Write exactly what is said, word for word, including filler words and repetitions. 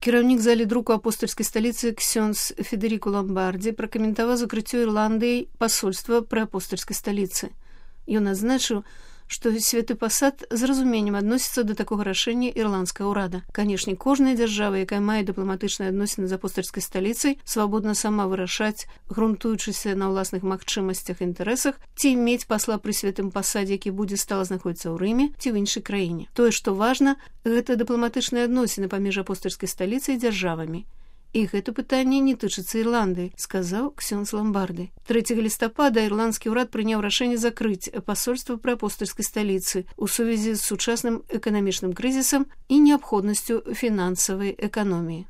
Кіраўнік залі друку апостольскай сталіцы ксёндз Федеріку Ламбардзі пракаментаваў закрыццё Ірландыяй пасольства пры апостольскай сталіцы. Ён адзначыў, што святы пасад з разуменнем адносіцца да такога рашэння ірландскага ўрада. Канешне, кожная дзяржава, якая мае дыпламатычныя адносіны з апостольскай сталіцай, свабодна сама вырашаць, грунтуючыся на ўласных магчымасцях і інтарэсах, ці мець пасла пры святым пасадзе, які будзе стала знаходзіцца ў Рыме ці ў іншай краіне. Тое, што важна, гэта дыпламатычныя адносіны паміж апостольскай сталіцай і дзяржавамі. І гэта пытанне не тычыцца Ірландыі, сказаў ксёндз Ламбарды. трэцяга лістапада ірландскі ўрад прыняў рашэнне закрыць пасольства пры апостольскай сталіцы ў сувязі з сучасным эканамічным крызісам і неабходнасцю фінансавай эканоміі.